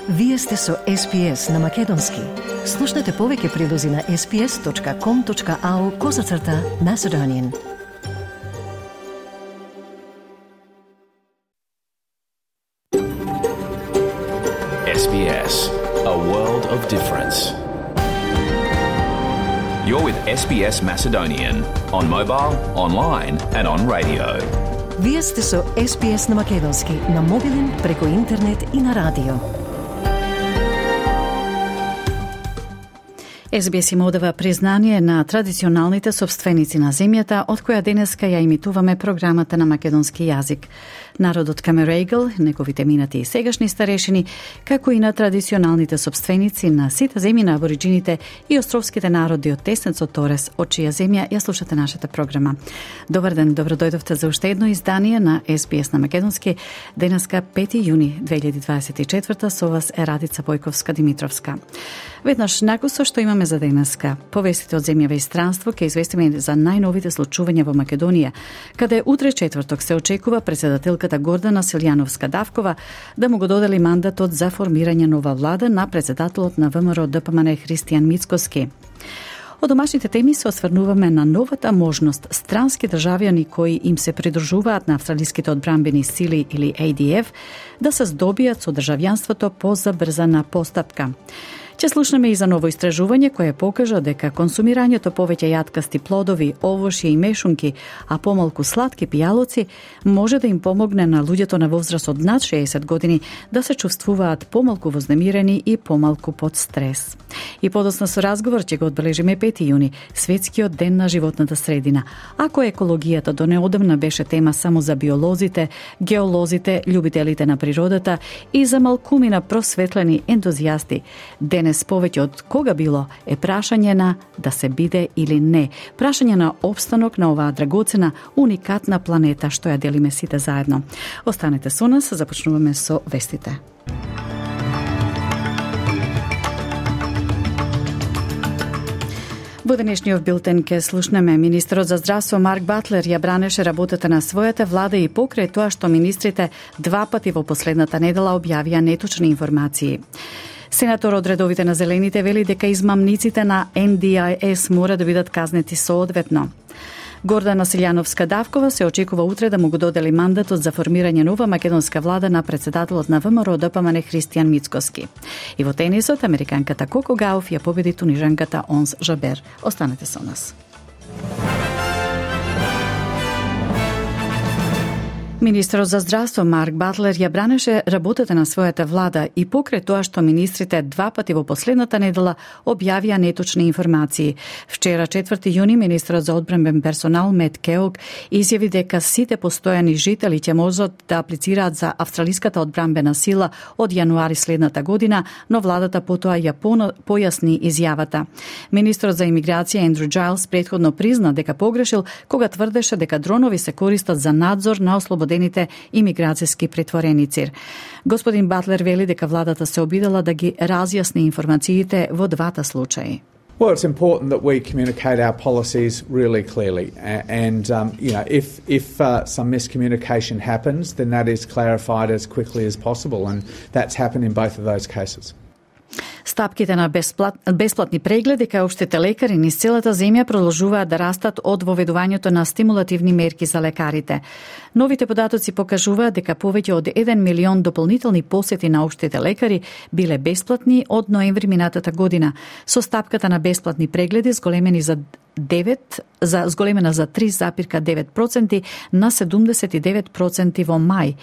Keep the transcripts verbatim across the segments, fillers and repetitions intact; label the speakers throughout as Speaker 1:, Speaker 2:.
Speaker 1: Вие сте со Ес Би Ес на Македонски. Слушнете повеќе прилози на ес би ес точка ком точка ау козацрта Macedonian.
Speaker 2: Ес Би Ес, a world of difference. You're with Ес Би Ес Macedonian on mobile, online and on radio.
Speaker 1: Вие сте со Ес Би Ес на Македонски, на мобилен, преку интернет и на радио.
Speaker 3: Ес Би Ес им одава признание на традиционалните собственици на земјата, од која денеска ја имитуваме програмата на македонски јазик. Народот Камерејгл, неговите минати и сегашни старешини, како и на традиционалните собственици на сите земји на абориджините и островските народи од Теснецот Торес, од чија земја ја слушате нашата програма. Добар ден, добро дојдовте за уште едно издание на Ес Би Ес на Македонски. Денеска пети јуни две илјади дваесет и четврта, со вас е Радица Бојковска-Димитровска. Веднаш накусо што имаме за денеска. Повестите од земјава и странство ќе известиме за најновите случувања во Македонија, каде утре четврток се очекува председателката Гордана Силјановска-Давкова да му го додели мандатот за формирање нова влада на председателот на Вэ Ем Ер Д П М Н Христијан Мицкоски. Од домашните теми се осврнуваме на новата можност странски државјани кои им се придружуваат на австралиските одбранбени сили или А Д Ф да се здобијат со државјанството по забрзана постапка. Ќе слушнеме и за ново истражување кое покажа дека консумирањето повеќе јаткасти плодови, овошје и мешунки, а помалку сладки пијалоци може да им помогне на луѓето на возраст од над шеесет години да се чувствуваат помалку вознемирени и помалку под стрес. И подоцна со разговор ќе го одбележиме пети јуни, светскиот ден на животната средина. Ако екологијата до неодамна беше тема само за биолозите, геолозите, љубителите на природата и за малкумина просветлени ентузијасти, денес повеќе од кога било е прашање на да се биде или не. Прашање на опстанок на оваа драгоцена, уникатна планета што ја делиме сите заедно. Останете со нас, започнуваме со вестите. Во денешниот билтен ке слушнеме министерот за здравство Марк Батлер ја бранеше работата на својата влада и покрај тоа што министрите два пати во последната недела објавија неточни информации. Сенатор од редовите на Зелените вели дека измамниците на Ен Ди Ай Ес мора да бидат казнети соодветно. Гордана Силјановска-Давкова се очекува утре да му го додели мандатот за формирање нова македонска влада на председателот на Вэ Ем Ер Д П М Н Христијан Мицкоски. И во тенисот, американката Коко Гауф ја победи тунижанката Онс Жабер. Останете со нас. Министерот за здравство Марк Батлер ја бранеше работата на својата влада и покрај тоа што министрите два пати во последната недела објавија неточни информации. Вчера, четврти јуни, министерот за одбранбен персонал Мет Кеог изјави дека сите постојани жители ќе можат да аплицираат за австралиската одбранбена сила од јануари следната година, но владата потоа ја појасни изјавата. Министерот за имиграција Ендрю Џајлс претходно призна дека погрешил кога тврдеше дека дронови се користат за надзор на ослободените имиграцијски претвореници. Господин Батлер вели дека владата се обидела да ги разјасни информациите во двата случаи.
Speaker 4: Well, it's important that we communicate our policies really clearly, and um, you know, if if uh, some miscommunication happens, then that is clarified as quickly as possible, and that's happened in both of those cases.
Speaker 3: Стапките на бесплат, бесплатни прегледи кај општите лекари низ целата земја продолжуваат да растат од воведувањето на стимулативни мерки за лекарите. Новите податоци покажуваат дека повеќе од еден милион дополнителни посети на општите лекари биле бесплатни од ноември минатата година, со стапката на бесплатни прегледи зголемени за девет за зголемена за три запирка девет проценти на седумдесет и девет проценти во мај.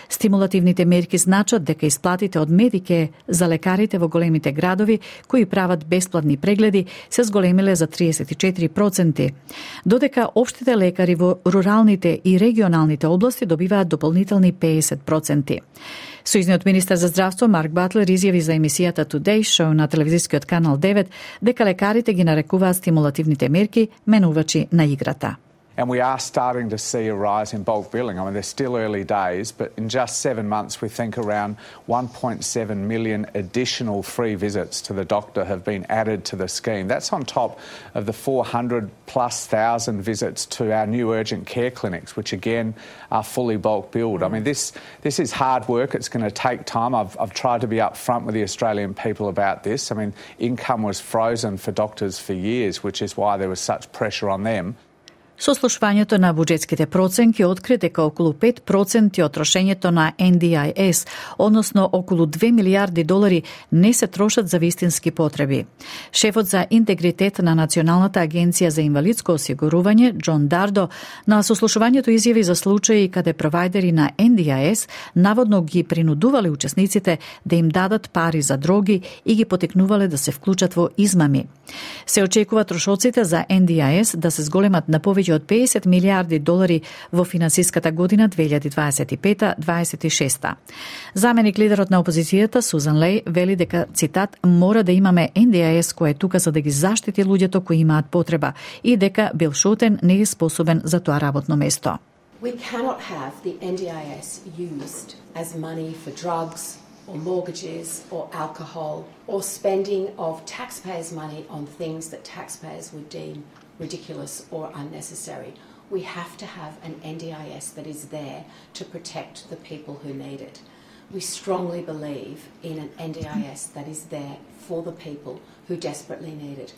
Speaker 3: Стимулативните мерки значат дека исплатите од Медике за лекарите во големите градови кои прават бесплатни прегледи се зголемиле за триесет и четири проценти, додека општите лекари во руралните и регионалните области добиваат дополнителни педесет проценти. Сојузниот министер за здравство Марк Батлер изјави за емисијата Today Show на телевизискиот канал девет дека лекарите ги нарекуваат стимулативните мерки менувачи на играта.
Speaker 4: and we are starting to see a rise in bulk billing. I mean, they're still early days, but in just seven months, we think around one point seven million additional free visits to the doctor have been added to the scheme. That's on top of the four hundred plus thousand visits to our new urgent care clinics, which again are fully bulk billed. I mean, this this is hard work. It's going to take time. I've, I've tried to be upfront with the Australian people about this. I mean, income was frozen for doctors for years, which is why there was such pressure on them.
Speaker 3: Сослушувањето на буџетските проценки откри дека околу пет проценти од трошењето на Ен Ди Ај Ес, односно околу две милијарди долари, не се трошат за вистински потреби. Шефот за интегритет на Националната агенција за инвалидско осигурување, Џон Дардо, на сослушувањето изјави за случаи каде провајдери на Ен Ди Ај Ес наводно ги принудувале учесниците да им дадат пари за дроги и ги потекнувале да се вклучат во измами. Се очекува трошоците за Ен Ди Ај Ес да се зголемат на повеќе од педесет милијарди долари во финансиската година две илјади дваесет и пета дваесет и шеста. Заменик лидерот на опозицијата Сузан Леј вели дека, цитат, мора да имаме Ен Ди Ај Ес кој е тука за да ги заштити луѓето кои имаат потреба и дека Бил Шотен не е способен за тоа работно место.
Speaker 5: We cannot have the Ен Ди Ај Ес used as money for drugs or mortgages or alcohol or spending of taxpayers' money on things that taxpayers would deem ridiculous or unnecessary. We have to have an Ен Ди Ај Ес that is there to protect the people who need it. We strongly believe in an Ен Ди Ај Ес that is there for the people who desperately need it.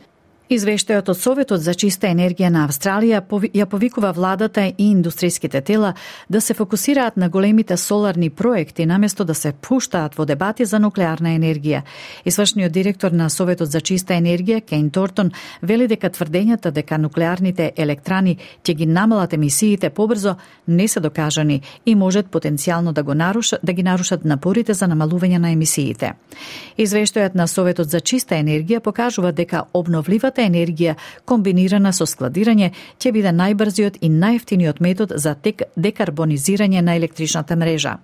Speaker 3: Извештајот од Советот за чиста енергија на Австралија ја повикува владата и индустријските тела да се фокусираат на големите соларни проекти наместо да се пуштаат во дебати за нуклеарна енергија. Извршниот директор на Советот за чиста енергија, Кейн Тортон, вели дека тврдењата дека нуклеарните електрани ќе ги намалат емисиите побрзо не се докажани и можат потенцијално да го нарушат, да ги нарушат напорите за намалување на емисиите. Извештајот на Советот за чиста енергија покажува дека обновливата енергија комбинирана со складирање ќе биде најбрзиот и најевтиниот метод за декарбонизирање на електричната мрежа.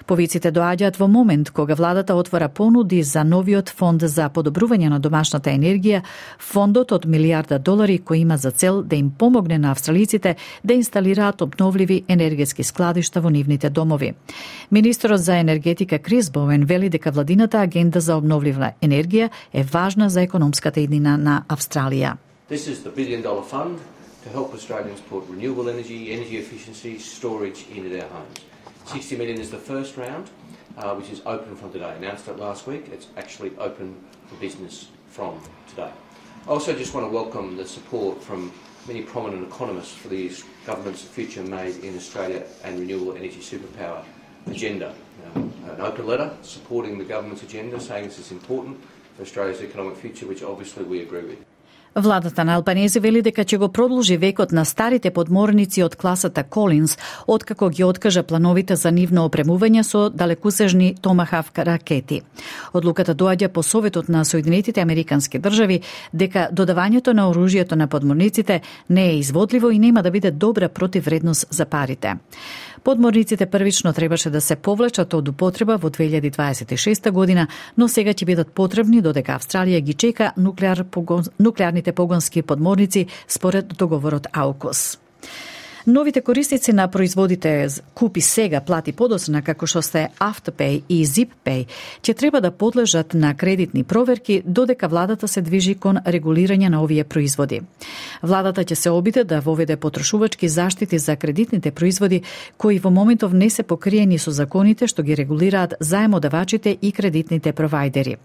Speaker 3: Повиците доаѓаат во момент кога владата отвора понуди за новиот фонд за подобрување на домашната енергија, фондот од милијарда долари кој има за цел да им помогне на австралиците да инсталираат обновливи енергетски складишта во нивните домови. Министерот за енергетика Крис Боуен вели дека владината агенда за обновлива енергија е важна за економската иднина на Австралија.
Speaker 6: This is the billion dollar fund to help Australians put renewable energy, energy efficiency, storage into their homes. sixty million is the first round, uh, which is open from today. Announced it last week. It's actually open for business from today. I also just want to welcome the support from many prominent economists for the government's Future Made in Australia and Renewable Energy Superpower agenda. Um, an open letter supporting the government's agenda, saying this is important for Australia's economic future, which obviously we agree with.
Speaker 3: Владата на Албанези вели дека ќе го продолжи векот на старите подморници од класата Колинс, откако ги откажа плановите за нивно опремување со далекусежни Томахавк ракети. Одлуката доаѓа по советот на Соединетите Американски држави дека додавањето на оружјето на подморниците не е изводливо и нема да биде добра противвредност за парите. Подморниците првично требаше да се повлечат од употреба во две илјади дваесет и шеста година, но сега ќе бидат потребни додека Австралија ги чека нуклеар погон, нуклеарните погонски подморници според договорот АУКУС. Новите корисници на производите Купи сега, плати подоцна, како што се Afterpay и ZipPay, ќе треба да подлежат на кредитни проверки додека владата се движи кон регулирање на овие производи. Владата ќе се обиде да воведе потрошувачки заштити за кредитните производи кои во моментов не се покриени со законите што ги регулираат заемодавачите и кредитните провајдери.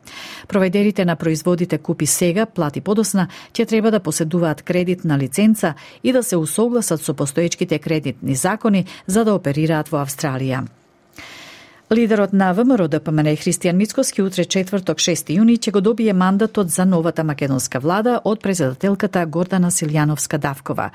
Speaker 3: Провајдерите на производите Купи сега, плати подоцна ќе треба да поседуваат кредитна лиценца и да се усогласат со постојачките кредитни закони за да оперираат во Австралија. Лидерот на ВМРО Д П М Н Христијан Мицкоски утре четврток шести јуни ќе го добие мандатот за новата македонска влада од председателката Гордана Силјановска-Давкова.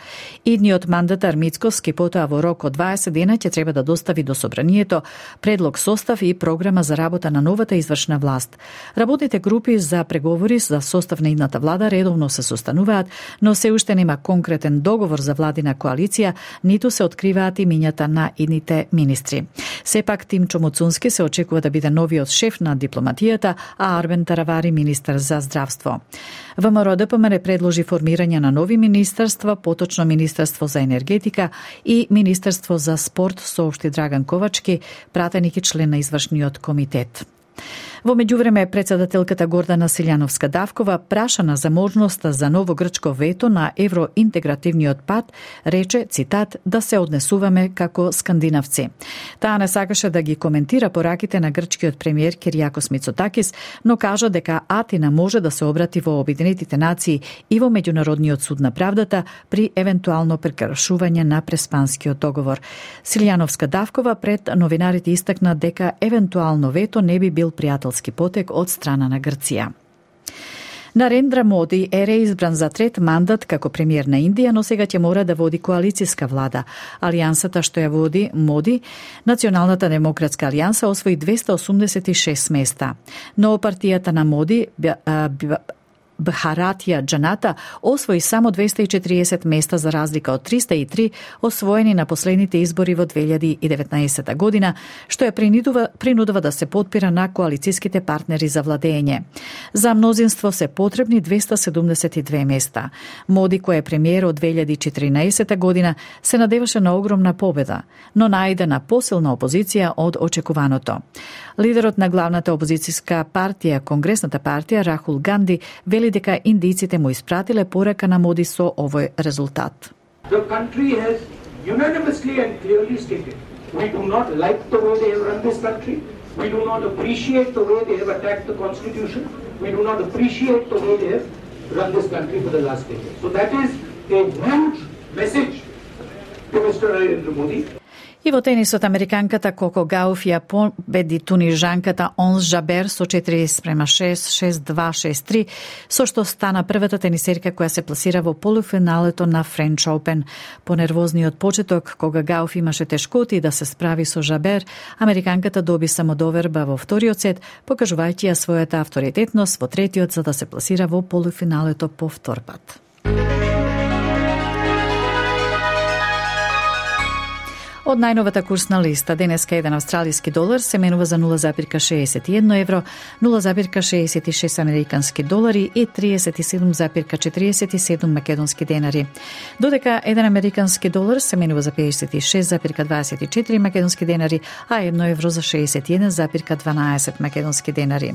Speaker 3: Идниот мандатар Мицкоски потоа во рок од дваесет дена ќе треба да достави до собранието предлог состав и програма за работа на новата извршна власт. Работните групи за преговори за состав на идната влада редовно се состануваат, но се уште нема конкретен договор за владина коалиција, ниту се откриваат имињата на идните министри. Сепак Тимчо Мицунски се очекува да биде новиот шеф на дипломатијата, а Арбен Таравари министер за здравство. ВМРО Д П М Н предложи формирање на нови министерства, поточно Министерство за енергетика и Министерство за спорт, соопшти Драган Ковачки, пратеник и член на извршниот комитет. Во меѓувреме, председателката Гордана Силјановска-Давкова, прашана за можноста за ново грчко вето на евроинтегративниот пат, рече, цитат, да се однесуваме како скандинавци. Таа не сакаше да ги коментира пораките на грчкиот премиер Киријакос Мицотакис, но кажа дека Атина може да се обрати во Обединетите нации и во Меѓународниот суд на правдата при евентуално прекршување на Преспанскиот договор. Силјановска-Давкова пред новинарите истакна дека евентуално вето не би бил пријател потек од страна на Грција. Нарендра Моди е реизбран за трет мандат како премиер на Индија, но сега ќе мора да води коалицијска влада. Алијансата што ја води Моди, Националната демократска алијанса, освои двеста осумдесет и шест места. Но партијата на Моди, Бхаратија Джаната, освои само двеста и четириесет места за разлика од триста и три освоени на последните избори во две илјади и деветнаесетта година, што ја принудува, принудува да се потпира на коалицијските партнери за владење. За мнозинство се потребни двеста седумдесет и две места. Моди, кој е премиер од две илјади и четиринаесетта година, се надеваше на огромна победа, но најде на посилна опозиција од очекуваното. Лидерот на главната опозицијска партија, Конгресната партија, Рахул Ганди, вели дека индиците му испратиле порака на Моди со овој резултат.
Speaker 7: The country has unanimously and clearly stated we do not like the way they have run this country, we do not appreciate the way they have attacked the constitution, we do not appreciate the way they have run this country for the last ten years. So that is a huge message to Mister Narendra Modi.
Speaker 3: И во тенисот, американката Коко Гауф ја победи тунижанката Онс Жабер со четири спрема шест, шест два, шест три, со што стана првата тенисерка која се пласира во полуфиналето на Френч Опен. По нервозниот почеток, кога Гауф имаше тешкоти да се справи со Жабер, американката доби самодоверба во вториот сет, покажувајќи ја својата авторитетност во третиот за да се пласира во полуфиналето по втор пат. Од најновата курсна листа, денеска еден австралиски долар се менува за нула запирка шеесет и едно евро, нула запирка шеесет и шест американски долари и триесет и седум запирка четириесет и седум македонски денари. Додека еден американски долар се менува за педесет и шест запирка дваесет и четири македонски денари, а едно евро за шеесет и еден запирка дванаесет македонски денари.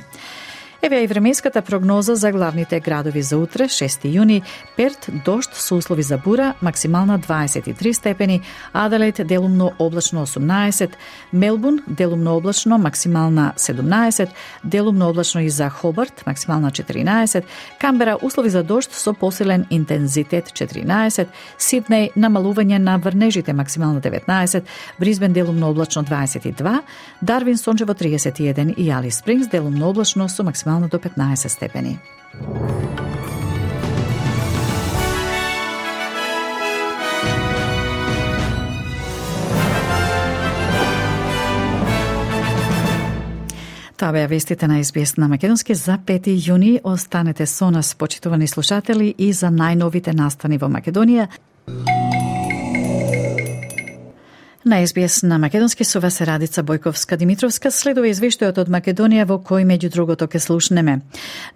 Speaker 3: Еве и временската прогноза за главните градови за утре, шести јуни. Перт, дожд со услови за бура, максимална дваесет и три степени, Аделаид делумно облачно осумнаесет, Мелбурн делумно облачно, максимална седумнаесет, делумно облачно и за Хобарт, максимална четиринаесет, Камбера услови за дожд со посилен интензитет четиринаесет, Сиднеј намалување на врнежите, максимална деветнаесет, Брисбен делумно облачно дваесет и два, Дарвин сончево триесет и еден и Алис Спрингс делумно облачно со максимална до петнаесет степени. Тоа беа вестите на Ес Би Ес на македонски за пети јуни. Останете со нас, почитувани слушатели, и за најновите настани во Македонија. На Ес Би Ес на македонски со вас е Радица Бојковска-Димитровска. Следува извештајот од Македонија во кој меѓу другото ке слушнеме.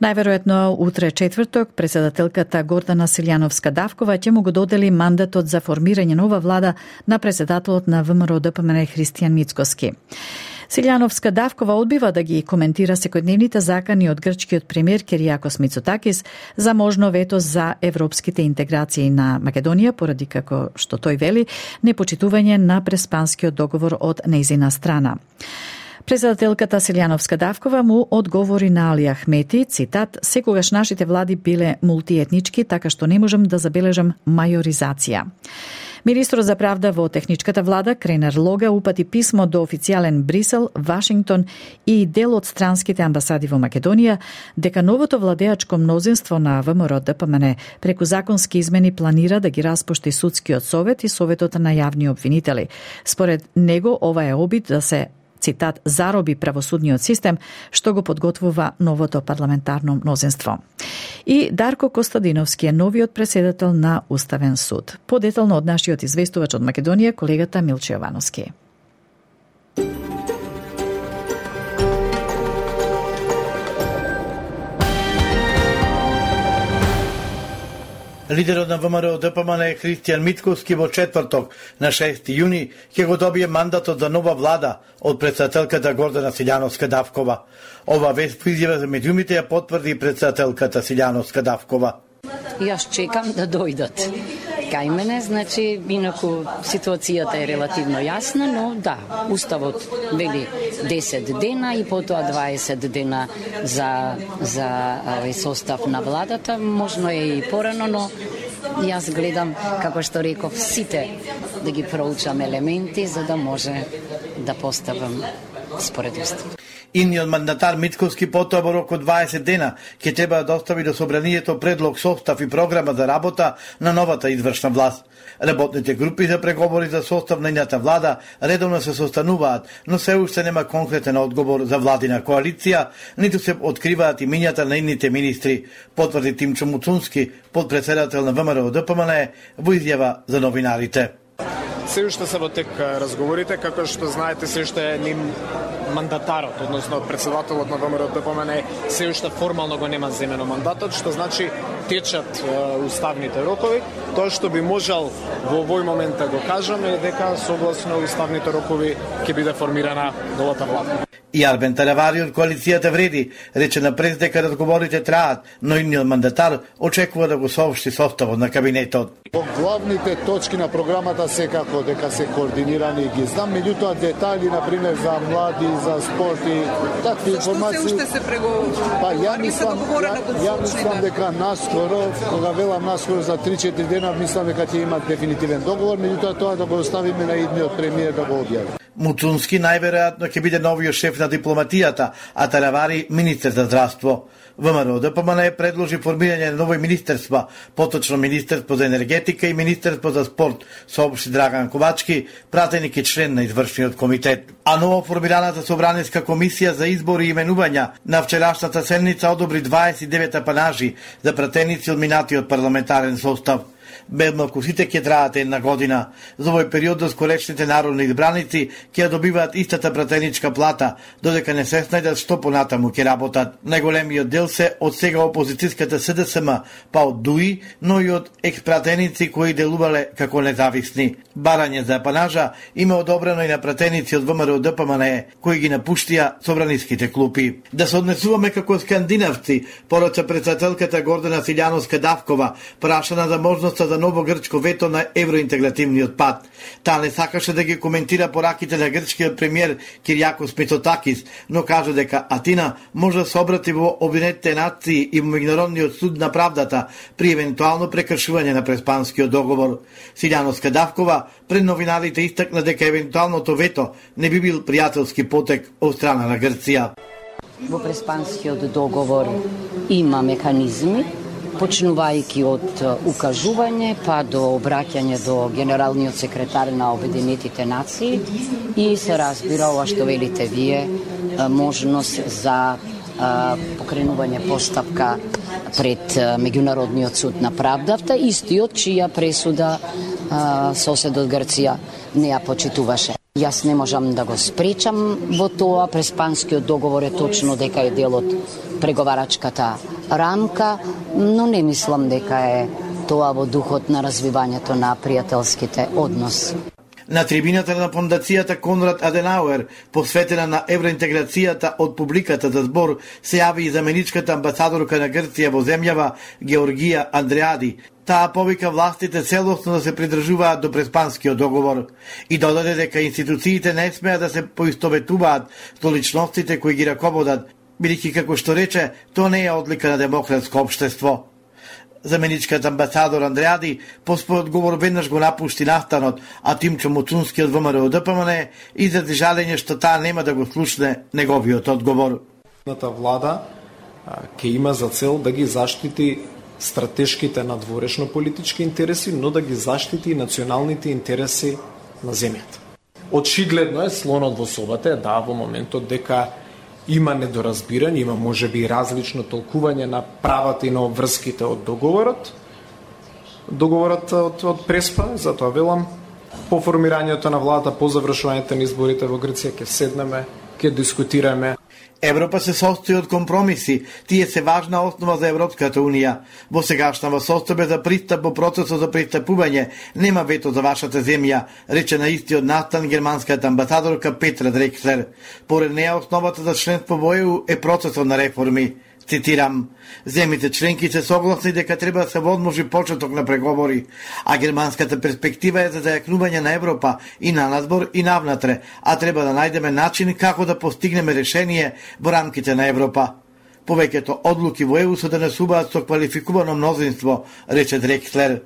Speaker 3: Најверојатно утре четврток председателката Гордана Силјановска-Давкова ќе му го додели мандатот за формирање нова влада на председателот на ВМРО Д П М Н Христијан Мицкоски. Силјановска-Давкова одбива да ги коментира секојдневните закани од грчкиот премиер Киријакос Мицотакис за можно вето за европските интеграции на Македонија, поради како што тој вели непочитување на Преспанскиот договор од нејзина страна. Председателката Силјановска-Давкова му одговори на Али Ахмети, цитат, секогаш нашите влади биле мултиетнички, така што не можам да забележам мајоризација. Министрот за правда во техничката влада, Кренер Лога, упати писмо до официјален Брисел, Вашингтон и дел од странските амбасади во Македонија, дека новото владеачко мнозинство на ВМРО Д П М Н преку законски измени планира да ги распушти судскиот совет и советот на јавни обвинители. Според него, ова е обид да се, цитат, зароби правосудниот систем, што го подготвува новото парламентарно мнозинство. И Дарко Костадиновски е новиот претседател на Уставен суд. Подетално од нашиот известувач од Македонија, колегата Милче Јовановски.
Speaker 8: Лидерот на ВМРО Д П М Н Христијан Митковски во четврток на шести јуни ќе го добие мандатот за нова влада од претседателката Гордана Силјановска-Давкова. Ова вест по изјава за медиумите ја потврди претседателката Силјановска-Давкова.
Speaker 9: Јас чекам да дојдат кај мене, значи, инаку ситуацијата е релативно јасна, но да, уставот вели десет дена и потоа дваесет дена за, за овој состав на владата, можно е и порано, но јас гледам, како што реков, сите да ги проучам елементи, за да може да поставам според устав.
Speaker 8: Инниот мандатар Митковски потоа во рок од дваесет дена ќе треба да достави до собранието предлог, состав и програма за работа на новата извршна власт. Работните групи за преговори за состав на ината влада редовно се состануваат, но се уште нема конкретен одговор за владина коалиција, ниту се откриваат имињата на инните министри, потврди Тимчо Муцунски, подпредседател на ВМРО Д П М Н, во изјава за новинарите.
Speaker 10: Се уште се во тек разговорите, како што знаете, се уште ним мандатарот, односно председателот на ВМРО Д П М Н, се уште формално го нема земено мандатот, што значи течат е, уставните рокови. Тоа што би можел во овој момент да го кажам е дека согласно уставните рокови ќе биде формирана новата влада.
Speaker 8: И Арбен Талевари од коалицијата Вреди рече на прес дека разговорите траат, но инниот мандатар очекува да го соопшти составот на кабинетот.
Speaker 11: По главните точки на програмата секако дека се координирани ги знам, меѓутоа детали, например, за млади, за спорт и такви информации. Зашто се уште се преговара? Па ја мислам, ја, ја мислам дека наскоро, кога велам наскоро за три-четири дена, мислам дека ќе имат дефинитивен договор, меѓутоа тоа да го оставиме на идниот премиер да го објави.
Speaker 8: Муцунски најверојатно ќе биде новиот шеф на дипломатијата, а Талевари министер за здравство. ВМРО Д П М Н предложи формирање на нови министерства, поточно Министерство за енергетика и Министерство за спорт, соопшти Драган Ковачки, пратеник и член на извршниот комитет. А ново формираната собраниска комисија за избори и именувања на вчерашната седница одобри дваесет и девет апанажи за пратеници од минатиот парламентарен состав. Бедмалку сите ќе траат една година. За овој период доскорешните народни избраници ќе добиваат истата пратеничка плата, додека не се снајдат што понатаму ќе работат. Најголемиот дел се од сега опозицијската С Д С М, па од Д У И, но и од експратеници кои делувале како независни. Барање за апанажа има одобрено и на пратеници од ВМРО Д П М Н, кои ги напуштија собраниските клупи. Да се однесуваме како скандинавци, порача председателката Гордана Силјановска-Давкова, прашана за можноста за ново грчко вето на евроинтегративниот пат. Таа не сакаше да ги коментира пораките на грчкиот премиер Киријакос Мицотакис, но кажа дека Атина може да се обрати во Обединетите нации и во Меѓународниот суд на правдата при евентуално прекршување на Преспанскиот договор. Силјановска-Давкова пред новинарите истакна дека евентуалното вето не би бил пријателски потек од страна на Грција.
Speaker 9: Во Преспанскиот договор има механизми, почнувајќи од укажување па до обраќање до генералниот секретар на Обединетите нации и се разбира ова што велите вие, можност за покренување постапка пред Меѓународниот суд на правдата, истиот чија пресуда соседот Грција не ја почитуваше. Јас не можам да го спречам во тоа, Преспанскиот договор е точно дека е дел од преговарачката рамка, но не мислам дека е тоа во духот на развивањето на пријателските односи.
Speaker 8: На трибината на фондацијата Конрад Аденауер, посветена на евроинтеграцијата од публиката за збор, се јави и заменичката амбасадорка на Грција во земјава Георгија Андреади. Таа повика властите целосно да се придржуваат до Преспанскиот договор и додаде дека институциите не смеат да се поистоветуваат со личностите кои ги раководат, бидејќи како што рече, тоа не е одлика на демократско општество. Заменичката амбасадор Андреади по својот говор веднаш го напушти настанот, а Тимчо Муцунски од ВМРО Д П М Н изрази жалење што таа нема да го слушне неговиот одговор.
Speaker 10: Влада ќе има за цел да ги заштити стратешките надворешно политички интереси, но да ги заштити и националните интереси на земјата. Очигледно е слонот во собата, да, во моментот дека има недоразбирање, има можеби различно толкување на правата и на обврските од договорот. Договорот од, од Преспа, затоа велам, по формирањето на владата, по завршувањето на изборите во Грција ќе седнеме, ќе дискутираме.
Speaker 8: Европа се состои од компромиси, тие се важна основа за Европската Унија. Во сегашнава состојба за пристап во процесот за пристапување нема вето за вашата земја, рече на истиот настан германската амбасадорка Петра Дрекслер. Поред неја основата за членство во Е У е процесот на реформи. Цитирам, земите членки се согласни дека треба да се возможи почеток на преговори, а германската перспектива е за зајакнување на Европа и на надвор и навнатре, а треба да најдеме начин како да постигнеме решение во рамките на Европа. Повеќето одлуки во Е У се донесуваат со квалификувано мнозинство, рече Дрекслер.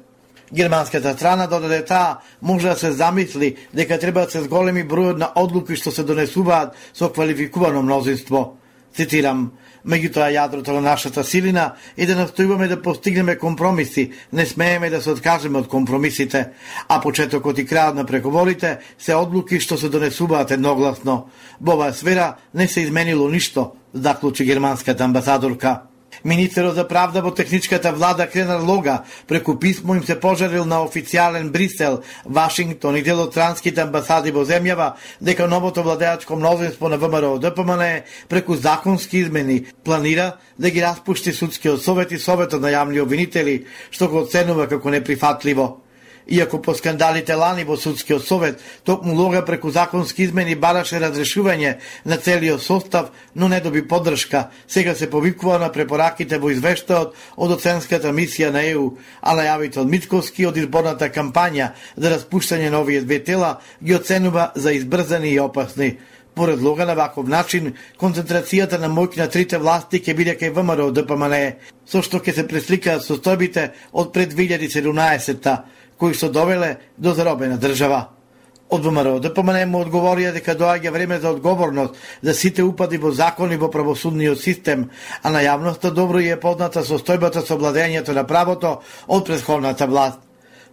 Speaker 8: Германската страна додаде таа може да се замисли дека треба да се зголеми бројот на одлуки што се донесуваат со квалификувано мнозинство. Цитирам, меѓутоа јадрото на нашата силина е да настојуваме да постигнеме компромиси, не смееме да се откажеме од компромисите, а почетокот и крајот на преговорите се одлуки што се донесуваат едногласно. Во оваа сфера не се изменило ништо, заклучи германската амбасадорка. Министерот за правда во техничката влада Кренар Лога преку писмо им се пожалил на официјален Брисел, Вашингтон и дел од странските амбасади во земјава дека новото владеачко мнозинство на Вэ Ем Р О Д П М Н преку законски измени планира да ги распушти судскиот совет и советот на јавни обвинители, што го оценува како неприфатливо. Иако по скандалите лани во судскиот совет, токму Лога преку законски измени бараше разрешување на целиот состав, но не доби поддршка. Сега се повикува на препораките во извештајот од оценската мисија на Е У, а најавите од Мицковски од изборната кампања за распуштање на овие две тела ги оценува за избрзани и опасни. Поред Лога на ваков начин, концентрацијата на моќ на трите власти ќе биде кај Вэ Ем Р О Д П М Н, со што ќе се пресликаат состојбите од пред две илјади и седумнаесетта, кои што довеле до заробена држава. Од Вэ Ем Р О Д П М Н му одговорија дека доаѓа време за одговорност за сите упади во закони во правосудниот систем, а на јавноста добро ја е позната состојбата со владењето на правото од претходната власт.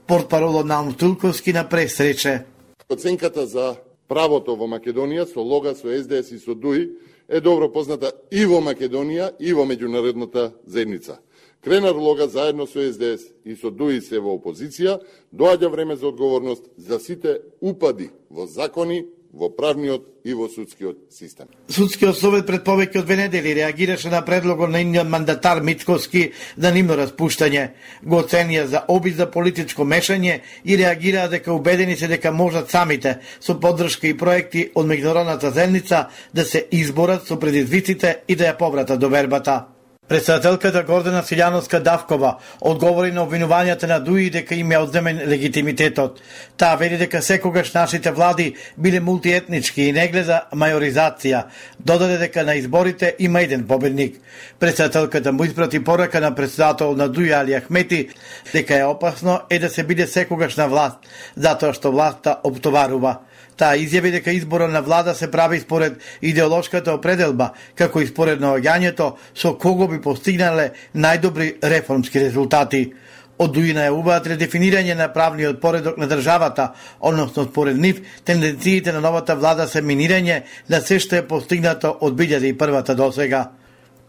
Speaker 8: Портпаролот Наум Стулковски на прес рече:
Speaker 12: Оценката за правото во Македонија со Лога, со С Д С и со Д У И е добро позната и во Македонија и во меѓународната заедница. Кренар Лога заедно со С Д С и со Д У И се во опозиција, доаѓа време за одговорност за сите упади во закони, во правниот и во судскиот систем.
Speaker 8: Судскиот совет пред повеќе од две недели реагираше на предлогот на иниот мандатар Мицковски за нивно распуштање. Го оценија за обид за политичко мешање и реагираа дека убедени се дека можат самите со поддршка и проекти од меѓународната заедница да се изборат со предизвиците и да ја повратат довербата. Председателката Гордана Силјановска-Давкова одговори на обвинувањата на Д У И дека им е одземен легитимитетот. Таа вели дека секогаш нашите влади биле мултиетнички и не гледа мајоризација. Додаде дека на изборите има еден победник. Председателката му испрати порака на председател на Д У И Али Ахмети дека е опасно е да се биде секогаш на власт, затоа што власта оптоварува. Таа изјави дека изборот на влада се прави според идеолошката определба, како и според наоѓањето со кого би постигнале најдобри реформски резултати. Од Д У И најавуваат редефинирање на правниот поредок на државата, односно според нив тенденциите на новата влада се минирање на се што е постигнато од две илјади и прва до сега.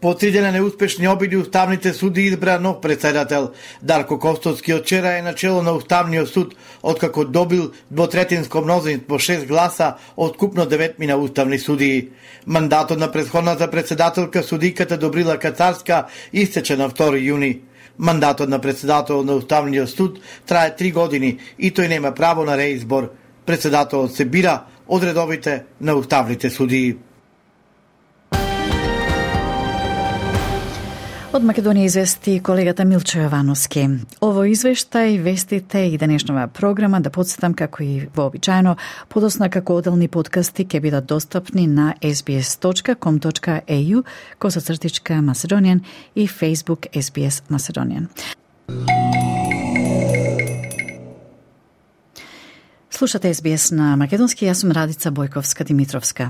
Speaker 8: По три дена неуспешни обиди уставните суди избра нов председател. Дарко Костоцки од вчера е начело на Уставниот суд, откако добил двотретинско мнозинство шест гласа од купно деветмина уставни судии. Мандатот на претходната председателка судиката Добрила Кацарска истече на втори јуни. Мандатот на председател на Уставниот суд трае три години и тој нема право на реизбор. Председателот се бира од редовите на уставните судии.
Speaker 3: Од Македонија извести колегата Милчо Јовановски. Ово извештај, вестите и денешнава програма, да подсетам како и вообичаено, подосна како оделни подкасти ќе бидат достапни на ес би ес точка ком точка е ю косацртичка Macedonian и Facebook ес би ес Macedonian. Слушате Ес Би Ес на македонски, јас сум Радица Бојковска-Димитровска.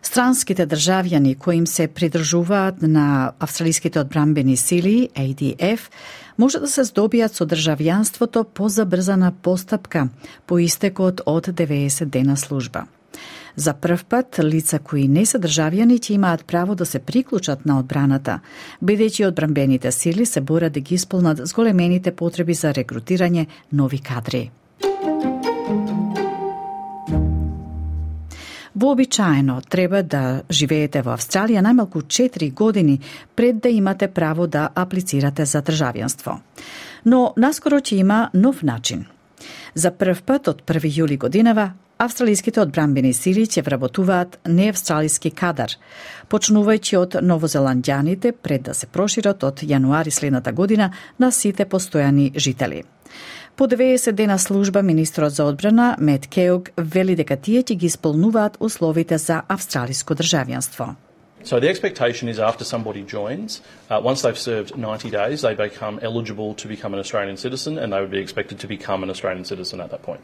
Speaker 3: Странските државјани кои им се придржуваат на австралиските одбранбени сили, А Д Ф, може да се здобијат со државјанството по забрзана постапка, по истекот од деветдесет дена служба. За прв пат, лица кои не се државјани ќе имаат право да се приклучат на одбраната, бидејќи одбранбените сили се борат да ги исполнат зголемените потреби за рекрутирање нови кадри. Вообичаено треба да живеете во Австралија најмалку четири години пред да имате право да аплицирате за државјанство. Но наскоро ќе има нов начин. За прв пат од први јули годинава австралиските одбранбени сили ќе вработуваат неавстралиски кадар, почнувајќи од новозеландјаните пред да се прошират од јануари следната година на сите постојани жители. По деветдесет дена служба, министрот за одбрана Мет Кеог вели дека тие ќе ги исполнуваат условите за австралиско државјанство.
Speaker 13: So the expectation is after somebody joins, uh, once they've served ninety days, they become eligible to become an Australian citizen and they would be expected to become an Australian citizen at that point.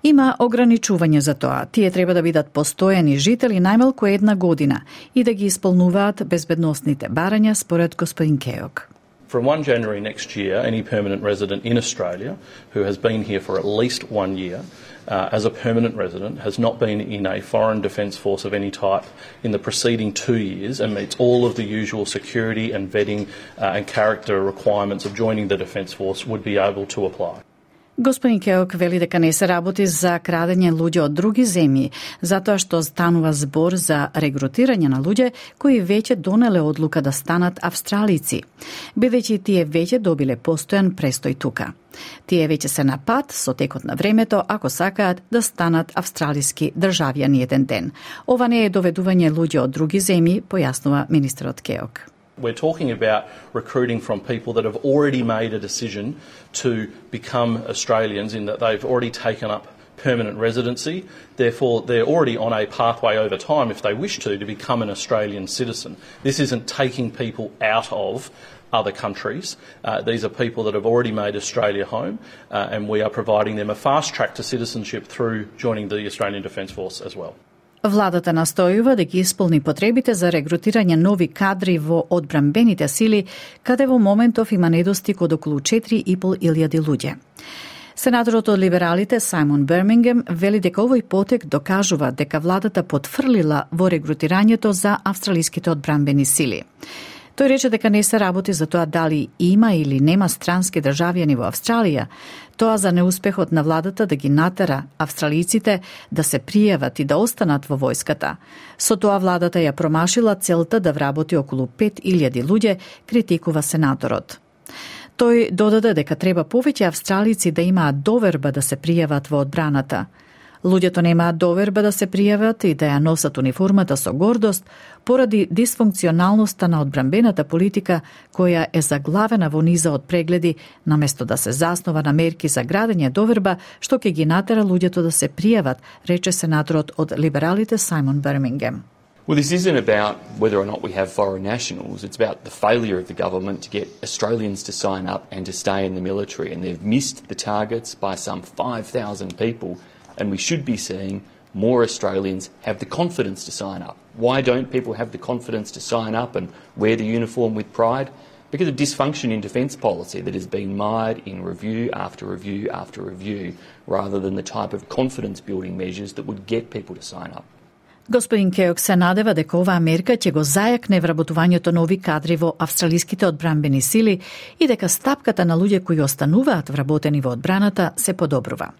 Speaker 3: Има ограничување за тоа. Тие треба да бидат постојани жители најмалку една година и да ги исполнуваат безбедносните барања, според господин Кеог.
Speaker 13: From first January next year, any permanent resident in Australia who has been here for at least one year uh, as a permanent resident, has not been in a foreign defence force of any type in the preceding two years and meets all of the usual security and vetting uh, and character requirements of joining the defence force would be able to apply.
Speaker 3: Господин Кеок вели дека не се работи за крадење луѓе од други земји, затоа што станува збор за регрутирање на луѓе кои веќе донеле одлука да станат австралици, бидејќи тие веќе добиле постојан престој тука. Тие веќе се на пат со текот на времето ако сакаат да станат австралиски државјани еден ден. Ова не е доведување луѓе од други земји, појаснува министрот Кеок.
Speaker 13: We're talking about recruiting from people that have already made a decision to become Australians in that they've already taken up permanent residency. Therefore, they're already on a pathway over time, if they wish to, to become an Australian citizen. This isn't taking people out of other countries. Uh, these are people that have already made Australia home, uh, and we are providing them a fast track to citizenship through joining the Australian Defence Force as well.
Speaker 3: Владата настојува да ги исполни потребите за регрутирање нови кадри во одбранбените сили, каде во моментов има недостиг од околу четири и пол илјади луѓе. Сенаторот од либералите Сајмон Бермингем вели дека овој потек докажува дека владата потфрлила во регрутирањето за австралиските одбранбени сили. Тој рече дека не се работи за тоа дали има или нема странски државјани во Австралија, тоа за неуспехот на владата да ги натера австралиците да се пријават и да останат во војската. Со тоа владата ја промашила целта да вработи околу пет илјади луѓе, критикува сенаторот. Тој додаде дека треба повеќе австралици да имаат доверба да се пријават во одбраната. Луѓето немаат доверба да се пријават и да ја носат униформата со гордост поради дисфункционалноста на одбранбената политика која е заглавена во низа од прегледи наместо да се заснова на мерки за градење доверба што ќе ги натера луѓето да се пријават, рече сенаторот од либералите Сајмон Бермингем.
Speaker 14: Well, this isn't about whether or not we have foreign nationals. It's about the failure of the government to get Australians to sign up and to stay in the military. And they've missed the targets by some five thousand people. And we should be seeing more Australians have the confidence to sign up. Why don't people have the confidence to sign up and wear the uniform with pride? Because of dysfunction in defence policy that has been mired in review after review after review, rather than the type of confidence-building measures that would get people to sign up.
Speaker 3: Господин Кеок се надева дека оваа мерка ќе го зајакне вработувањето нови кадри во австралиските одбранбени сили и дека стапката на луѓе кои остануваат вработени во одбраната се подобрува.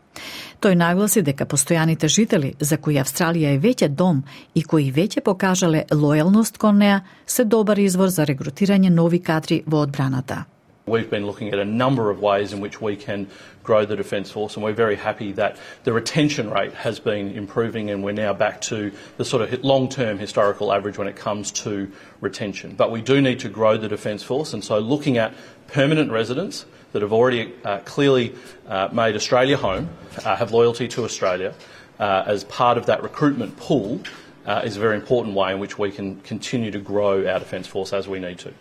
Speaker 3: Тој нагласи дека постојаните жители, за кои Австралија е веќе дом и кои веќе покажале лојалност кон неа, се добар извор за регрутирање нови кадри во одбраната.
Speaker 13: We've been looking at a number of ways in which we can grow the Defence Force, and we're very happy that the retention rate has been improving and we're now back to the sort of long-term historical average when it comes to retention. But we do need to grow the Defence Force, and so looking at permanent residents that have already uh, clearly uh, made Australia home, uh, have loyalty to Australia, uh, as part of that recruitment pool uh, is a very important way in which we can continue to grow our Defence Force as we need to.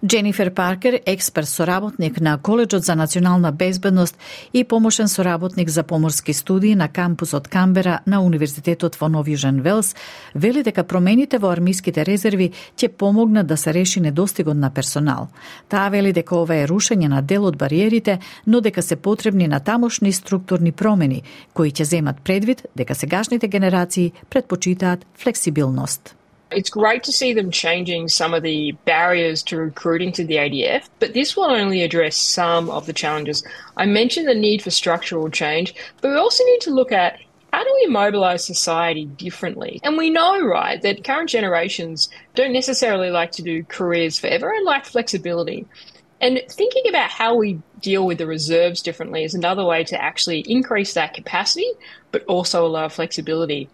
Speaker 3: Дженифер Паркер, експерт соработник на Коледжот за национална безбедност и помошен соработник за поморски студии на кампусот Камбера на Универзитетот во Нов Јужен Велс, вели дека промените во армиските резерви ќе помогнат да се реши недостигот на персонал. Таа вели дека ова е рушење на дел од бариерите, но дека се потребни натамошни структурни промени, кои ќе земат предвид дека сегашните генерации предпочитаат флексибилност.
Speaker 15: It's great to see them changing some of the barriers to recruiting to the A D F, but this will only address some of the challenges. I mentioned the need for structural change, but we also need to look at How do we mobilise society differently? And we know, right, that current generations don't necessarily like to do careers forever and lack flexibility. And thinking about how we deal with the reserves differently is another way to actually increase that capacity, but also allow flexibility.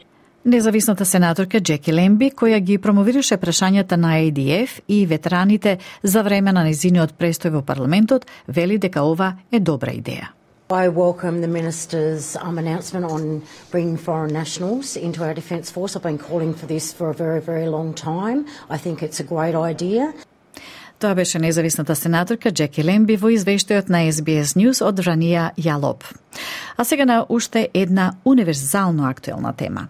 Speaker 3: Независната сенаторка Джеки Лемби, која ги промовираше прашањата на А Д Ф и ветераните за време на незиниот престој во парламентот, вели дека ова е добра идеја.
Speaker 16: I welcome the Minister's um, announcement on bringing foreign nationals into our Defence Force. I've been calling for this for a very, very long time. I think it's a great idea.
Speaker 3: Тоа беше независната сенаторка Джеки Лемби во извештајот на С Б С News од Рания Јалоп. А сега на уште една универзално актуелна тема.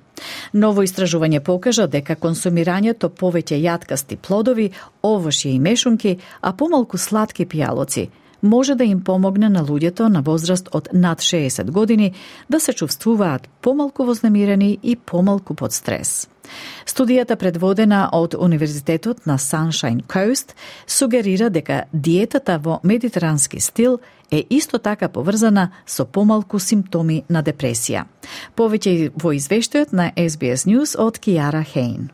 Speaker 3: Ново истражување покажа дека консумирањето повеќе јаткасти плодови, овошје и мешунки, а помалку сладки пијалоци може да им помогне на луѓето на возраст од над шеесет години да се чувствуваат помалку вознемирени и помалку под стрес. Студијата предводена од Универзитетот на Sunshine Coast сугерира дека диетата во медитерански стил е исто така поврзана со помалку симптоми на депресија. Повеќе во извештајот на С Б С News од Киара Хейн.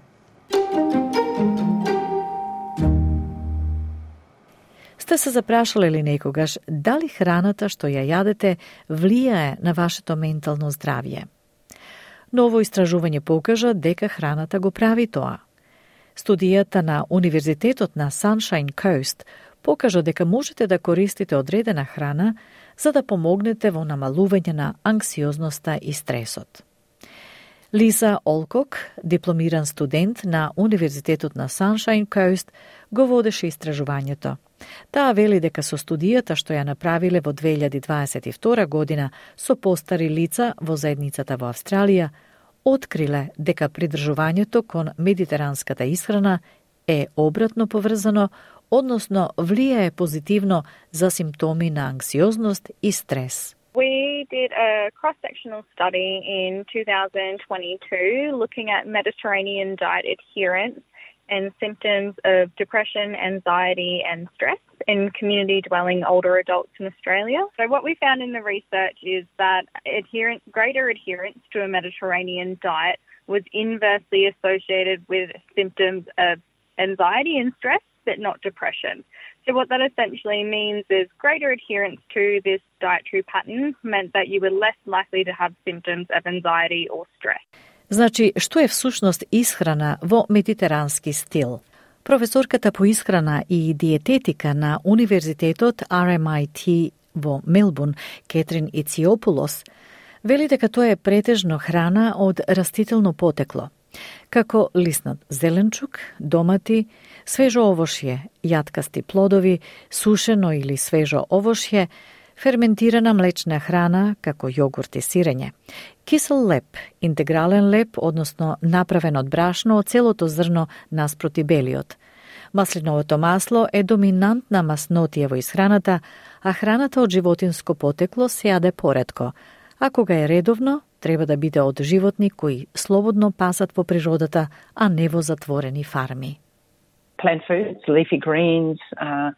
Speaker 3: Сте се запрашале ли некогаш дали храната што ја јадете влијае на вашето ментално здравје? Ново истражување покажа дека храната го прави тоа. Студијата на Универзитетот на Sunshine Coast покажа дека можете да користите одредена храна за да помогнете во намалување на анксиозноста и стресот. Лиза Олкок, дипломиран студент на Универзитетот на Sunshine Coast, го водеше истражувањето. Таа вели дека со студијата што ја направиле во две илјади дваесет и втора година со постари лица во заедницата во Австралија, откриле дека придржувањето кон медитеранската исхрана е обратно поврзано, односно влијае позитивно за симптоми на анксиозност и стрес.
Speaker 17: We did a cross-sectional study in two thousand twenty-two looking at Mediterranean diet adherence and symptoms of depression, anxiety and stress in community-dwelling older adults in Australia. So what we found in the research is that adherence, greater adherence to a Mediterranean diet was inversely associated with symptoms of anxiety and stress, but not depression. So what that essentially means is greater adherence to this dietary pattern meant that you were less likely to have symptoms of anxiety or stress.
Speaker 3: Значи, што е всушност исхрана во медитерански стил? Професорката по исхрана и диететика на Универзитетот Р М I T во Мелбурн, Кетрин Ициопулос, вели дека тоа е претежно храна од растително потекло, како лиснат зеленчук, домати, свежо овошје, јаткасти плодови, сушено или свежо овошје, ферментирана млечна храна, како јогурт и сирење, кисел леп, интегрален леп, односно направен од брашно од целото зрно наспроти белиот. Маслиновото масло е доминантна маснотија во исхраната, а храната од животинско потекло се јаде поретко, а кога е редовно, треба да биде од животни кои слободно пасат во природата, а не во затворени фарми.
Speaker 18: Plant foods, leafy greens, uh,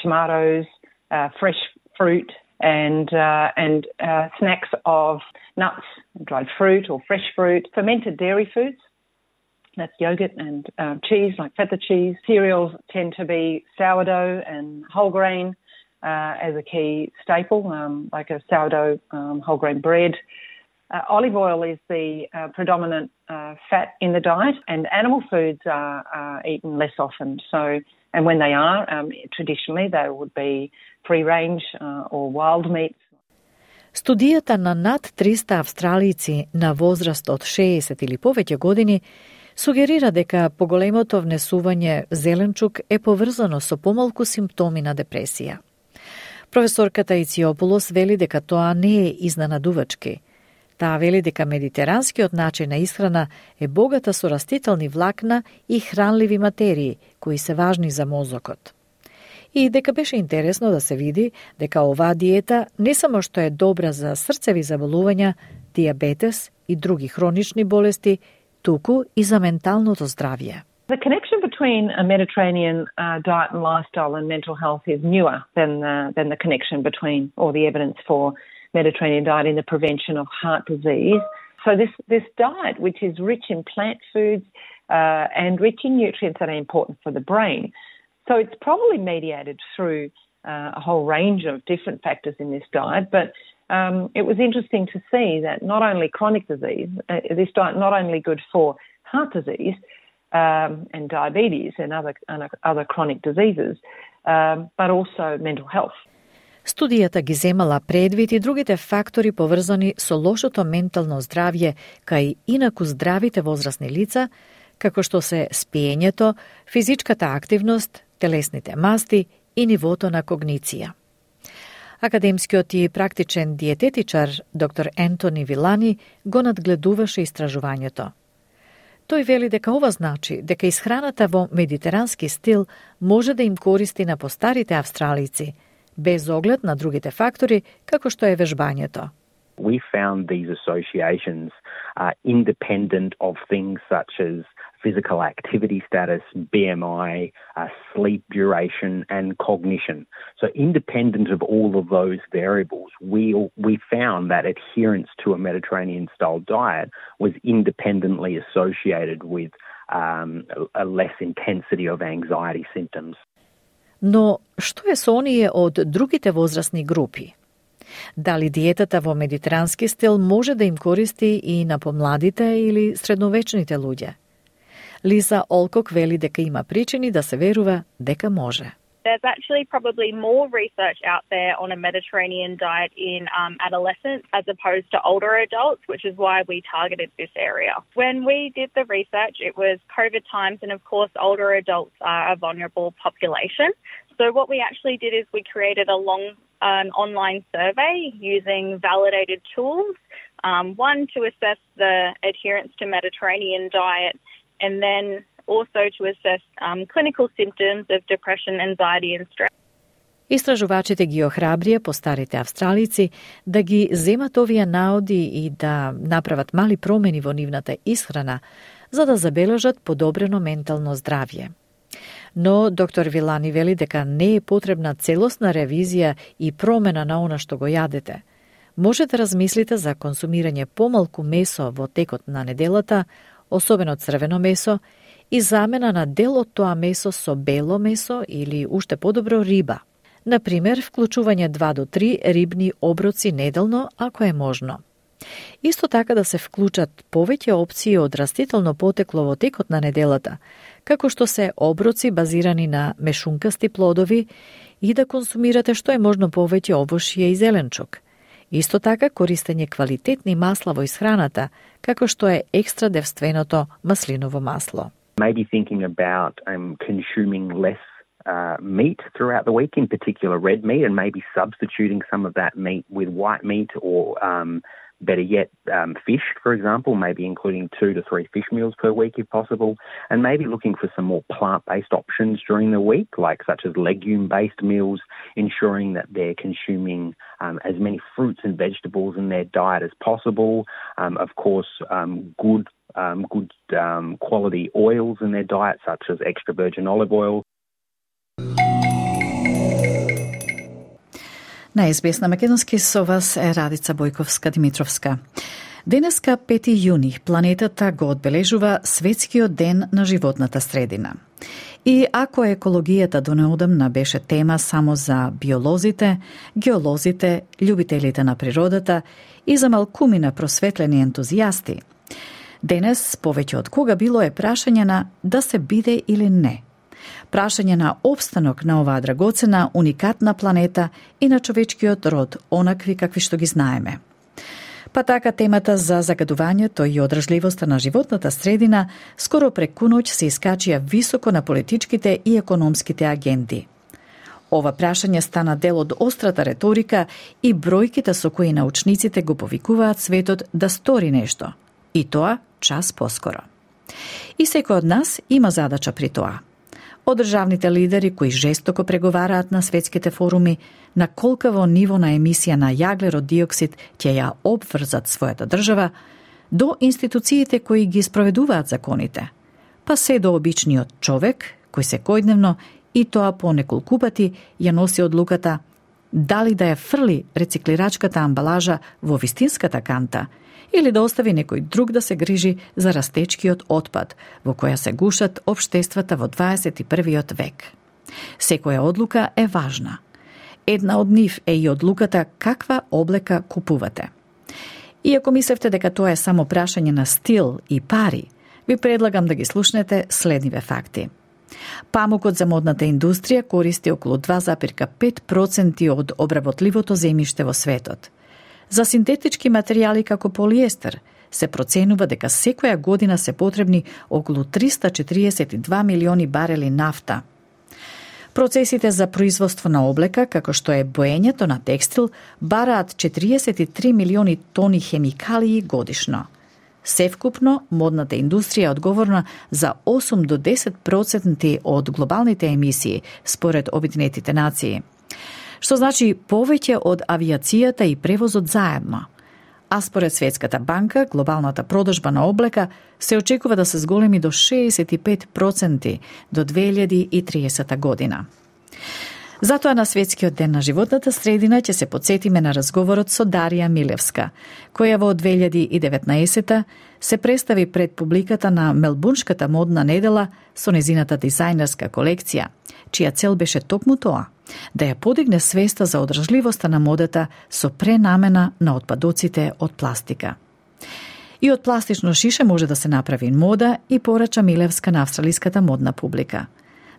Speaker 18: tomatoes, uh, fresh fruit and uh, and uh, snacks of nuts, dried fruit or fresh fruit, fermented dairy foods, that's yogurt and uh, cheese like feta cheese. Cereals tend to be sourdough and whole grain uh, as a key staple, um, like a sourdough um, whole grain bread. Uh, olive oil is the uh, predominant uh, fat in the diet, and animal foods are, are eaten less often. So, and when they are, um, traditionally they would be free-range uh, or wild meats.
Speaker 3: Студијата на над триста австралици на возраст од шеесет или повеќе години сугерира дека поголемото внесување зеленчук е поврзано со помалку симптоми на депресија. Професорката Ициопулос вели дека тоа не е изненадувачки. Таа вели дека медитеранскиот начин на исхрана е богата со растителни влакна и хранливи материи, кои се важни за мозокот. И дека беше интересно да се види дека оваа диета не само што е добра за срцеви заболувања, диабетес и други хронични болести, туку и за менталното здравје.
Speaker 18: The connection between a Mediterranean uh, diet and lifestyle and mental health is newer than the, than the connection between, or the evidence for Mediterranean diet in the prevention of heart disease. So this, this diet, which is rich in plant foods uh, and rich in nutrients that are important for the brain, so it's probably mediated through uh, a whole range of different factors in this diet, but um, it was interesting to see that not only chronic disease, uh, this diet not only good for heart disease um, and diabetes and other, and other chronic diseases, um, but also mental health.
Speaker 3: Студијата ги земала предвид и другите фактори поврзани со лошото ментално здравје кај инаку здравите возрастни лица, како што се спиењето, физичката активност, телесните масти и нивото на когниција. Академскиот и практичен диететичар доктор Ентони Вилани го надгледуваше истражувањето. Тој вели дека ова значи дека исхраната во медитерански стил може да им користи на постарите австралици, без оглед на другите фактори, како што е вежбањето.
Speaker 19: We found these associations uh, independent of things such as physical activity status, B M I, uh, sleep duration and cognition. So independent of all of those variables, we, we found that adherence to a Mediterranean-style diet was independently associated with um, a less intensity of anxiety symptoms.
Speaker 3: Но што е со оние од другите возрастни групи? Дали диетата во медитерански стил може да им користи и на помладите или средновечните луѓе? Лиза Олкок вели дека има причини да се верува дека може.
Speaker 17: There's actually probably more research out there on a Mediterranean diet in um, adolescents as opposed to older adults, which is why we targeted this area. When we did the research, it was COVID times, and of course, older adults are a vulnerable population. So what we actually did is we created a long um, online survey using validated tools, um, one to assess the adherence to Mediterranean diet, and then also to assess um, clinical symptoms of depression, anxiety and stress.
Speaker 3: Истражувачите ги охрабрија постарите австралици да ги земат овие наоди и да направат мали промени во нивната исхрана, за да забележат подобрено ментално здравје. Но доктор Вилани вели дека не е потребна целосна ревизија и промена на она што го јадете. Може да размислите за консумирање помалку месо во текот на неделата, особено црвено месо, и замена на дел од тоа месо со бело месо или уште подобро риба. Например, вклучување два до три рибни оброци неделно, ако е можно. Исто така да се вклучат повеќе опции од растително потекло во текот на неделата, како што се оброци базирани на мешункасти плодови и да консумирате што е можно повеќе овошје и зеленчук. Исто така користење квалитетни масла во исхраната, како што е екстра девственото маслиново масло.
Speaker 19: Maybe thinking about um, consuming less uh, meat throughout the week, in particular red meat, and maybe substituting some of that meat with white meat or um, better yet, um, fish, for example, maybe including two to three fish meals per week if possible, and maybe looking for some more plant-based options during the week, like such as legume-based meals, ensuring that they're consuming um, as many fruits and vegetables in their diet as possible. Um, of course, um, good Um, good um, quality oils in their diet, such as extra virgin olive oil.
Speaker 3: На Ес Би Ес на македонски со вас е Радица Бојковска-Димитровска. Денеска, пети јуни, планетата го одбележува Светскиот ден на животната средина. И ако екологијата до неодамна беше тема само за биолозите, геолозите, љубителите на природата и за малкумина просветлени ентузијасти, денес, повеќе од кога било, е прашање на да се биде или не. Прашање на опстанок на оваа драгоцена, уникатна планета и на човечкиот род, онакви какви што ги знаеме. Па така темата за загадувањето и одржливоста на животната средина скоро преку ноќ се искачија високо на политичките и економските агенди. Ова прашање стана дел од острата реторика и бројките со кои научниците го повикуваат светот да стори нешто. И тоа час поскоро. И секој од нас има задача при тоа. Од државните лидери кои жестоко преговараат на светските форуми на колкаво ниво на емисија на јаглерод диоксид ќе ја обврзат својата држава, до институциите кои ги спроведуваат законите, па се до обичниот човек кој секојдневно и тоа по неколку пати ја носи одлуката дали да ја фрли рециклирачката амбалажа во вистинската канта или да остави некој друг да се грижи за растечкиот отпад, во која се гушат општествата во дваесет и првиот век. Секоја одлука е важна. Една од нив е и одлуката каква облека купувате. Иако мислевте дека тоа е само прашање на стил и пари, ви предлагам да ги слушнете следниве факти. Памукот за модната индустрија користи околу два зарез и пет проценти од обработливото земјиште во светот. За синтетички материјали како полиестер се проценува дека секоја година се потребни околу триста четириесет и два милиони барели нафта. Процесите за производство на облека, како што е боењето на текстил, бараат четириесет и три милиони тони хемикалии годишно. Севкупно, модната индустрија е одговорна за осум до десет проценти од глобалните емисии, според Обединетите нации. Што значи повеќе од авиацијата и превозот заедно. А според Светската банка, глобалната продажба на облека се очекува да се зголеми до шеесет и пет проценти до две илјади и триесета година. Затоа на Светскиот ден на животната средина ќе се потсетиме на разговорот со Дарија Милевска, која во две илјади и деветнаесета се представи пред публиката на Мелбурнската модна недела со незината дизајнерска колекција, чија цел беше токму тоа, да ја подигне свеста за одржливоста на модата со пренамена на отпадоците од пластика. И од пластично шише може да се направи мода и порача Милевска на австралиската модна публика.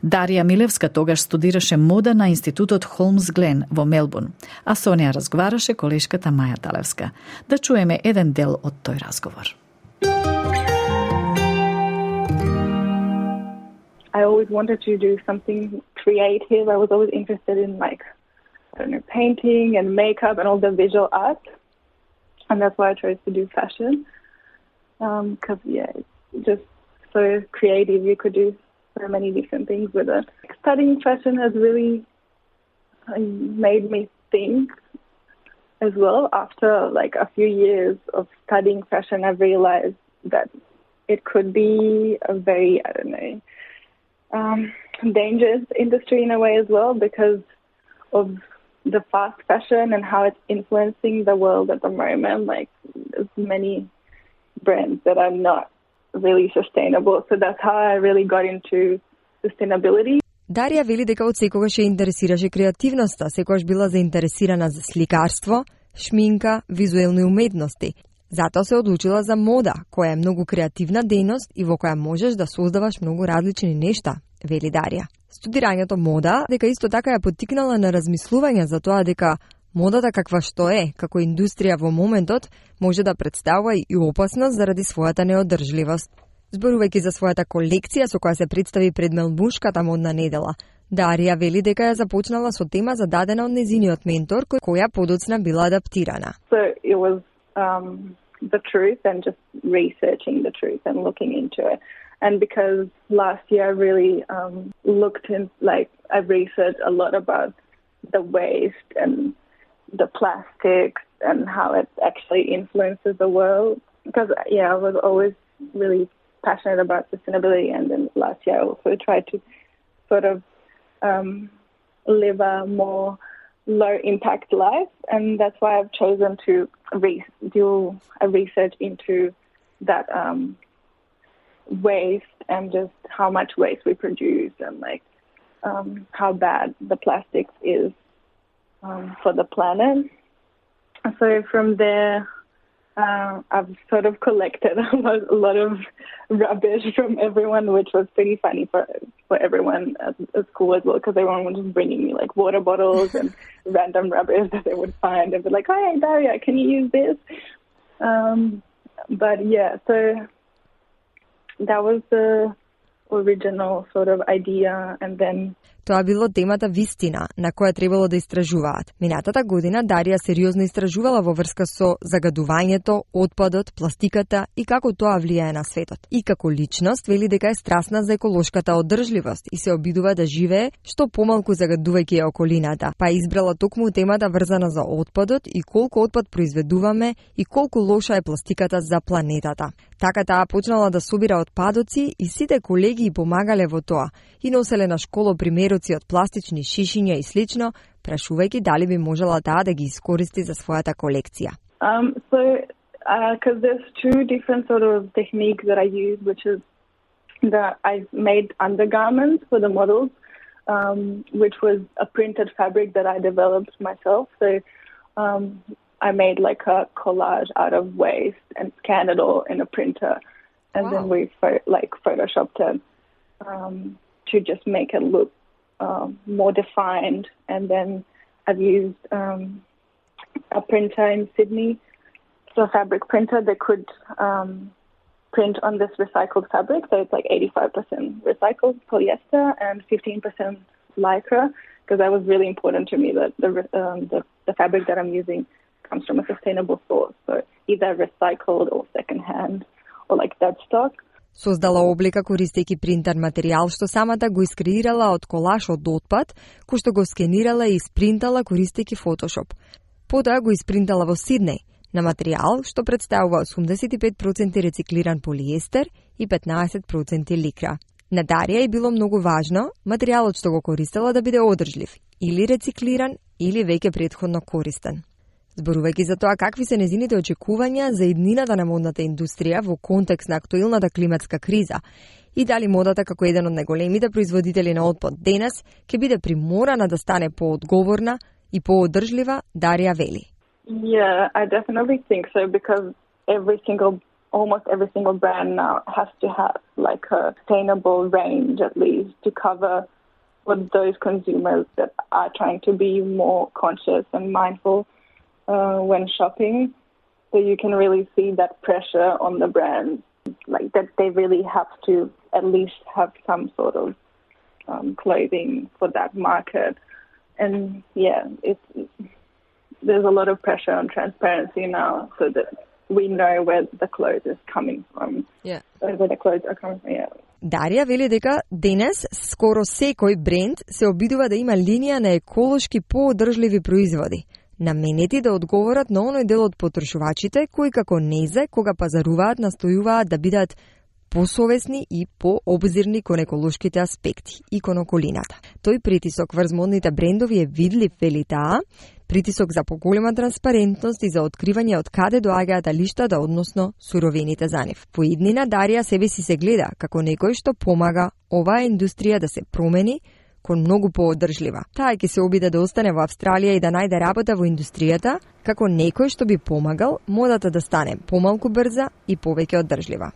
Speaker 3: Дарија Милевска тогаш студираше мода на институтот Холмс Глен во Мелбурн, а со неа разговараше колешката Маја Талевска. Да чуеме еден дел од тој разговор.
Speaker 20: I always wanted to do something creative. I was always interested in like, I don't know, painting and makeup and all the visual art. And that's why I chose to do fashion. Because, um, yeah, it's just so creative. You could do so many different things with it. Studying fashion has really made me think as well. After like a few years of studying fashion, I've realized that it could be a very, I don't know, um, dangerous industry in a way as well because of the fast fashion and how it's influencing the world at the moment. Like there's many brands that are not really sustainable. So that's how I really got into sustainability.
Speaker 21: Дарија вели дека од секогаш ја интересираше креативноста, секогаш била заинтересирана за сликарство, шминка, визуелни уметности. Затоа се одлучила за мода, која е многу креативна дејност и во која можеш да создаваш многу различни нешта, вели Дарија. Студирањето мода дека исто така ја поттикнала на размислување за тоа дека модата каква што е, како индустрија во моментот, може да представува и опасност заради својата неодржливост. Зборувајќи за својата колекција со која се представи пред Мелбурнската модна недела, Дарија вели дека ја започнала со тема зададена од незиниот ментор, која подоцна била адаптирана.
Speaker 20: So it was um, the truth and just researching the truth and looking into it. And because last year I really um, looked in, like, I researched a lot about the waste and the plastics and how it actually influences the world. Because, yeah, I was always really passionate about sustainability, and then last year I also tried to sort of um, live a more low-impact life, and that's why I've chosen to re- do a research into that um, waste and just how much waste we produce and like um, how bad the plastics is um, for the planet. So from there, uh, I've sort of collected a lot, a lot of rubbish from everyone, which was pretty funny for for everyone at, at school as well, because everyone was just bringing me like water bottles and random rubbish that they would find. They'd be like, "Hey, Daria, can you use this?" Um, but yeah, so that was the original sort of idea, and then
Speaker 21: Тоа било темата вистина, на која требало да истражуваат. Минатата година Дарија сериозно истражувала во врска со загадувањето, отпадот, пластиката и како тоа влијае на светот. И како личност вели дека е страстна за еколошката одржливост и се обидува да живее што помалку загадувајќи ја околината, па избрала токму темата врзана за отпадот и колку отпад произведуваме и колку лоша е пластиката за планетата. Така таа почнала да собира отпадоци и сите колеги и помагале во тоа и носеле на школо примероци од пластични шишиња и слично, прашувајќи дали би можела таа да ги искористи за својата колекција.
Speaker 20: Um, so Because uh, there's two different sort of techniques that I use, which is that I've made undergarments for the models, um, which was a printed fabric that I developed myself. So um, I made like a collage out of waste and scanned it all in a printer, and wow. then we pho- like photoshopped it um, to just make it look um, more defined. And then I've used um, a printer in Sydney, so a fabric printer that could um, print on this recycled fabric. So it's like eighty-five percent recycled polyester and fifteen percent lycra, because that was really important to me, that the, um, the, the fabric that I'm using comes from a sustainable source. So either recycled or second-hand or like dead stock.
Speaker 21: Создала облика користејќи принтер материјал што самата го искреирала од колаж од отпад, кој што го скенирала и испринтала користејќи Photoshop. Потоа го испринтала во Сиднеј на материјал што представува осумдесет и пет проценти рециклиран полиестер и петнаесет проценти ликра. На Дарија е било многу важно материјалот што го користела да биде одржлив, или рециклиран, или веќе претходно користен. Зборувајќи за тоа какви се незините очекувања за иднината на модната индустрија во контекст на актуелната климатска криза и дали модата како еден од најголемите производители на отпад денес ќе биде приморана да стане поодговорна и поодржлива, Дарија вели.
Speaker 20: Yeah, I definitely think so, because every single, almost every single brand now has to have like a sustainable range at least to cover for those consumers that are trying to be more conscious and mindful uh, when shopping. So you can really see that pressure on the brands, like that they really have to at least have some sort of um, clothing for that market. And yeah, it's, there's a lot of pressure on transparency now, so that we know where the clothes is coming from.
Speaker 21: Yeah.
Speaker 20: Where the clothes are coming from, yeah.
Speaker 21: Дарија вели дека денес скоро секој бренд се обидува да има линија на еколошки поодржливи производи, наменети да одговорат на оној дел од потрошувачите кои како незе, кога пазаруваат, настојуваат да бидат посовесни и пообзирни кон еколошките аспекти и кон околината. Тој притисок врз модните брендови е видлив, вели таа, притисок за поголема транспарентност и за откривање од каде доаѓаат алиштата, односно суровините за нив. По иднина Дарија себе си се гледа како некој што помага оваа индустрија да се промени кон многу поодржлива. Таа ќе се обиде да остане во Австралија и да најде работа во индустријата како некој што би помагал модата да стане помалку брза и повеќе одржлива.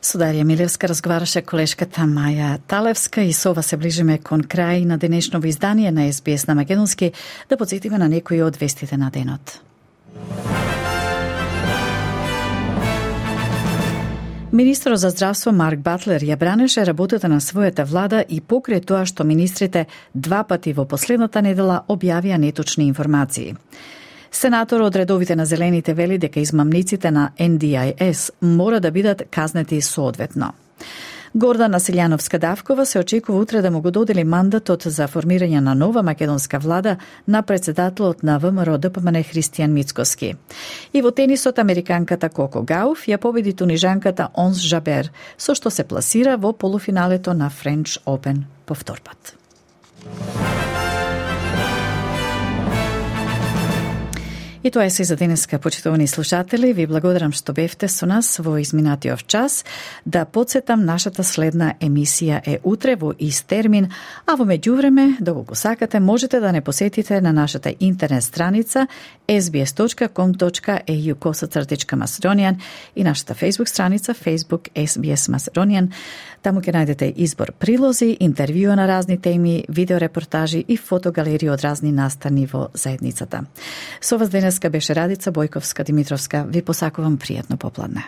Speaker 3: Со Дарија Милевска разговараше колешката Маја Талевска и со ова се ближиме кон крај на денешново издание на Ес Би Ес на македонски, да потсетиме на некои од вестите на денот. Министрот за здравство Марк Батлер ја бранеше работата на својата влада и покрај тоа што министрите два пати во последната недела објавија неточни информации. Сенатор од редовите на Зелените вели дека измамниците на Ен Ди Ај Ес мора да бидат казнети соодветно. Гордана Силјановска-Давкова се очекува утре да му го додели мандатот за формирање на нова македонска влада на претседателот на Вэ Ем Ар О Д П М Н Христијан Мицкоски. И во тенисот американката Коко Гауф ја победи тунижанката Онс Жабер, со што се пласира во полуфиналето на Френч Опен по втор пат. И тоа е се за денеска, почитувани слушатели. Ви благодарам што бевте со нас во изминатиот час. Да потсетам, нашата следна емисија е утре во ист термин, а во меѓувреме, доколку сакате, можете да не посетите на нашата интернет страница ес би ес точка ком точка е ю косацртичка Macedonian и нашата Facebook страница Facebook Ес Би Ес Macedonian. Таму ќе најдете избор прилози, интервјуа на разни теми, видеорепортажи и фотогалерии од разни настани во заедницата. Со вас денеска беше Радица Бојковска-Димитровска. Ви посакувам пријатно попладне.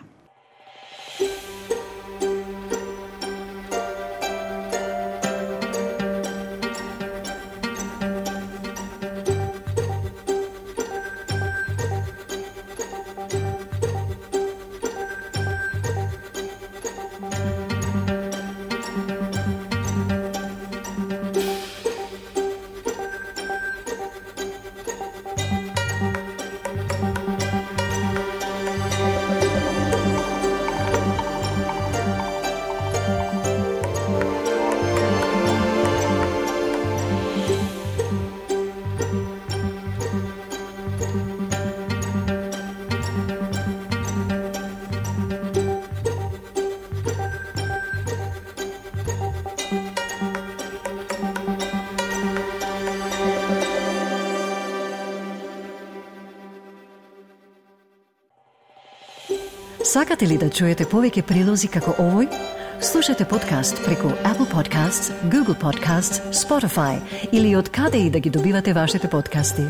Speaker 1: Сакате ли да чуете повеќе прилози како овој? Слушате подкаст преку Apple Podcasts, Google Podcasts, Spotify или од каде и да ги добивате вашите подкасти.